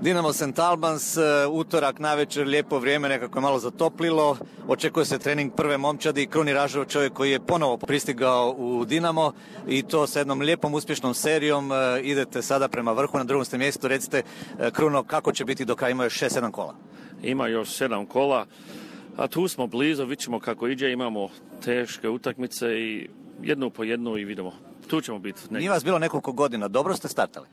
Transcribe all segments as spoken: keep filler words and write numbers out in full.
Dinamo Saint Albans, utorak navečer, lijepo vrijeme, nekako je malo zatoplilo, očekuje se trening prve momčadi, Kruni Ražov, čovjek koji je ponovo pristigao u Dinamo i to sa jednom lijepom uspješnom serijom, idete sada prema vrhu, na drugom ste mjestu, recite Kruno, kako će biti do kraja, ima još šest sedam kola? Ima još sedam kola, a tu smo blizu, vidjet ćemo kako iđe, imamo teške utakmice i jednu po jednu i vidimo, tu ćemo biti. Nije vas bilo nekoliko godina, dobro ste startali?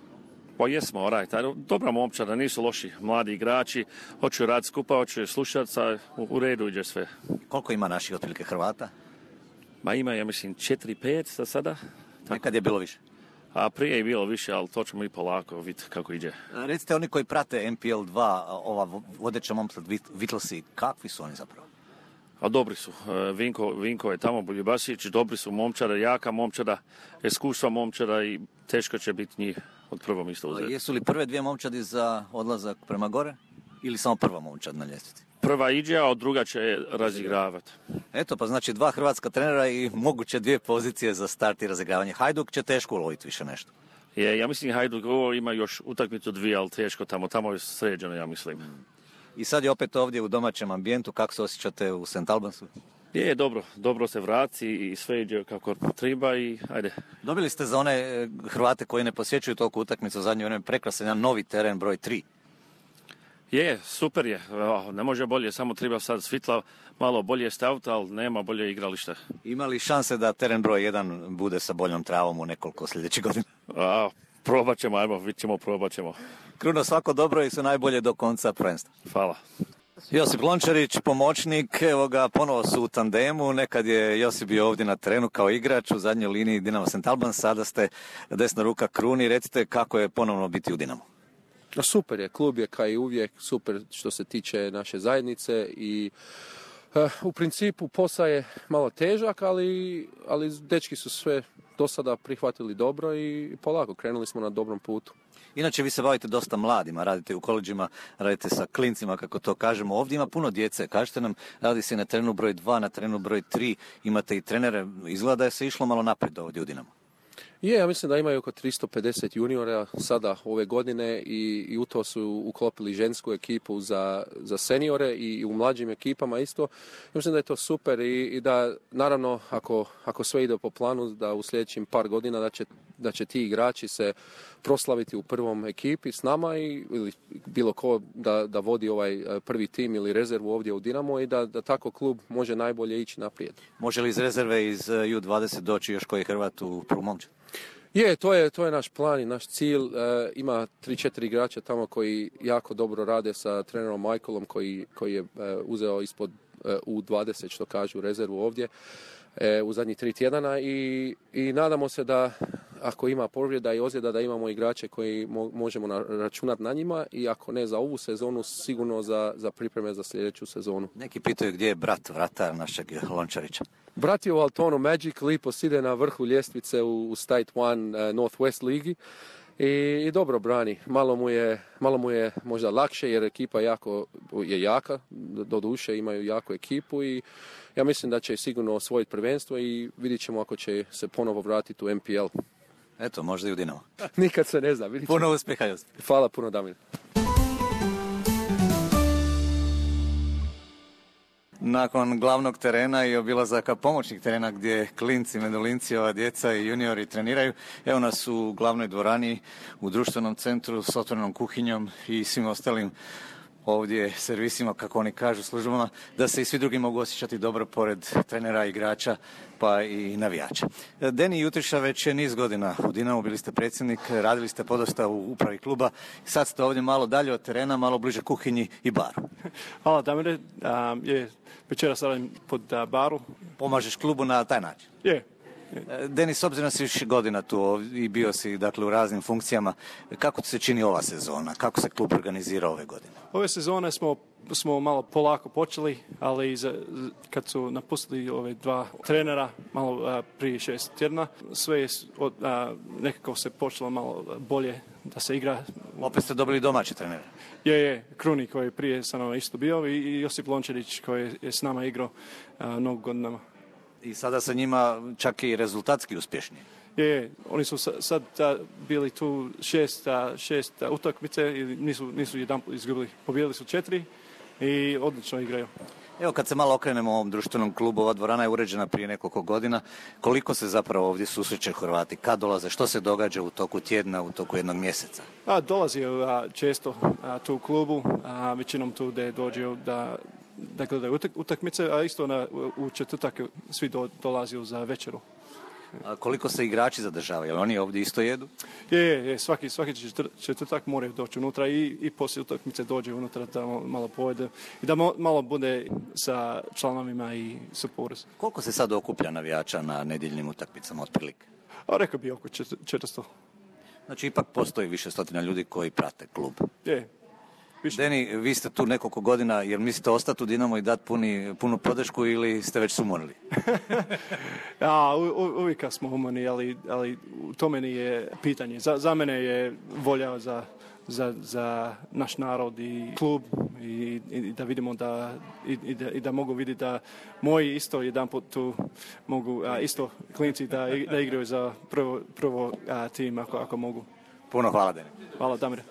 Pa jesmo, right. Dobra momčada, nisu loši mladi igrači, hoću rad skupa, hoću slušati, a u, u redu iđe sve. Koliko ima naših otprilike Hrvata? Ma ima, ja mislim, četiri pet za sada. Tako. Nekad je bilo više? A prije je bilo više, ali to ćemo i polako vidjeti kako iđe. Recite, oni koji prate N P L dva, ova vodeća momčad Vitlsi, kakvi su oni zapravo? A dobri su. Vinko, Vinko je tamo, Buljubasić, dobri su momčada, jaka momčada, iskustva momčada i teško će biti njih od prvom isto uzeti. Jesu li prve dvije momčadi za odlazak prema gore ili samo prva momčad na ljestvici? Prva iđe, a druga će razigravati. Eto, pa znači dva hrvatska trenera i moguće dvije pozicije za start i razigravanje. Hajduk će teško uloviti više nešto. Je, ja mislim Hajduk ovo ima još utakmicu dvije, ali teško tamo, tamo je sređeno, ja mislim. I sad je opet ovdje u domaćem ambijentu, kako se osjećate u Saint Albansu? Je, dobro, dobro se vrati i sve iđe kako treba i ajde. Dobili ste za one Hrvate koji ne posjećuju toliko utakmicu u zadnje vrijeme prekrasan jedan novi teren broj tri. Je, super je, ne može bolje, samo treba sad svitla malo bolje staviti, ali nema bolje igrališta. Ima li šanse da teren broj jedan bude sa boljom travom u nekoliko sljedećih godina? A, probat ćemo, ajmo, vidit ćemo, probat ćemo. Kruno, svako dobro i sve najbolje do konca prvenstva. Hvala. Josip Lončarić, pomoćnik, evo ga, ponovo su u tandemu, nekad je Josip bio ovdje na terenu kao igrač u zadnjoj liniji Dinamo Saint Albans, sada ste desna ruka Kruni, recite kako je ponovno biti u Dinamu. Super je, klub je kao i uvijek, super što se tiče naše zajednice i uh, u principu posao je malo težak, ali, ali dečki su sve do sada prihvatili dobro i polako, krenuli smo na dobrom putu. Inače, vi se bavite dosta mladima, radite u koleđima, radite sa klincima, kako to kažemo. Ovdje ima puno djece, kažete nam, radi se na terenu broj dva, na terenu broj tri, imate i trenere, izgleda da je se išlo malo naprijed ovdje u Dinamo. Je, ja mislim da imaju oko tristo pedeset juniora sada ove godine i, i u to su uklopili žensku ekipu za, za seniore i, i u mlađim ekipama isto. Ja mislim da je to super i, i da naravno ako, ako sve ide po planu da u sljedećim par godina da će, da će ti igrači se proslaviti u prvom ekipi s nama i, ili bilo ko da, da vodi ovaj prvi tim ili rezervu ovdje u Dinamo i da, da tako klub može najbolje ići naprijed. Može li iz rezerve iz U dvadeset doći još koji Hrvat u prvu momčad? Je, to je, to je naš plan i naš cilj. E, ima tri četiri igrača tamo koji jako dobro rade sa trenerom Michaelom koji, koji je e, uzeo ispod e, U dvadeset, što kažu, rezervu ovdje e, u zadnjih tri tjedana i, i nadamo se da ako ima povreda i ozljeda da imamo igrače koji mo, možemo na, računati na njima i ako ne za ovu sezonu, sigurno za, za pripreme za sljedeću sezonu. Neki pitaju gdje je brat vratar našeg Lončarića. Brat je u Altonu Magic, lipo side na vrhu ljestvice u, u State One uh, Northwest ligi i, i dobro brani. Malo mu, je, malo mu je možda lakše jer ekipa jako, je jaka, do duše imaju jaku ekipu i ja mislim da će sigurno osvojiti prvenstvo i vidjet ćemo ako će se ponovo vratiti u N P L. Eto, možda i u Dinamo. Nikad se ne zna. Puno uspjeha, Josip. Hvala puno, Damir. Nakon glavnog terena i obilazaka pomoćnih terena gdje klinci, medolinci, ova djeca i juniori treniraju, evo nas u glavnoj dvorani, u društvenom centru s otvorenom kuhinjom i svim ostalim ovdje servisima, kako oni kažu, službama, da se i svi drugi mogu osjećati dobro pored trenera, igrača, pa i navijača. Deni Jutriša već je niz godina u Dinamu, bili ste predsjednik, radili ste podosta u upravi kluba, sad ste ovdje malo dalje od terena, malo bliže kuhinji i baru. Hvala, Damire. Um, je, večeras radim pod uh, baru. Pomažeš klubu na taj način? Je. Denis, s obzirom da si više godina tu i bio si, dakle, u raznim funkcijama, kako ti se čini ova sezona? Kako se klub organizira ove godine? Ove sezone smo, smo malo polako počeli, ali za, kad su napustili ove dva trenera, malo a, prije šest tjedna, sve je od, a, nekako se počelo malo bolje da se igra. Opet ste dobili domaći trenere? Je, je, Kruni koji je prije sa nama isto bio i, i Josip Lončarić koji je s nama igrao a, mnogo godinama. I sada sa njima čak i rezultatski uspješni. Je, oni su sa- sad a, bili tu šest, a, šest a, utakmice i nisu, nisu jedan izgubili. Pobijedili su četiri i odlično igraju. Evo kad se malo okrenemo ovom društvenom klubu, ova dvorana je uređena prije nekoliko godina. Koliko se zapravo ovdje susreće Hrvati? Kad dolaze? Što se događa u toku tjedna, u toku jednog mjeseca? A, dolazi a, često a, tu u klubu, a, većinom tu da dođu da, da gledaju utak- utakmice, a isto na, u, u četvrtak svi do, dolazi za večeru. A koliko se igrači zadržavaju? Jel oni ovdje isto jedu? Je, je, je, svaki, svaki četvr- četvrtak moraju doći unutra i, i poslije utakmice dođe unutra da malo pojede i da mo- malo bude sa članovima i supporters. Koliko se sad okuplja navijača na nedjeljnim utakmicama otprilike? A rekao bi oko čet- četiristo. Znači ipak postoji više stotina ljudi koji prate klub. Je, više. Deni, vi ste tu nekoliko godina, jer mislite ostati u Dinamo i dati puni, punu podršku ili ste već sumorili? Ja, u, u, uvijek smo umorni, ali, ali u tome nije pitanje. Za, za mene je volja za, za, za naš narod i klub i, i da vidimo da i, i, da, i da mogu vidjeti da moji isto jedan put tu mogu a, isto klinci da, da igraju za prvo, prvo a, tim ako, ako mogu. Puno hvala, Deni. Hvala, Damire.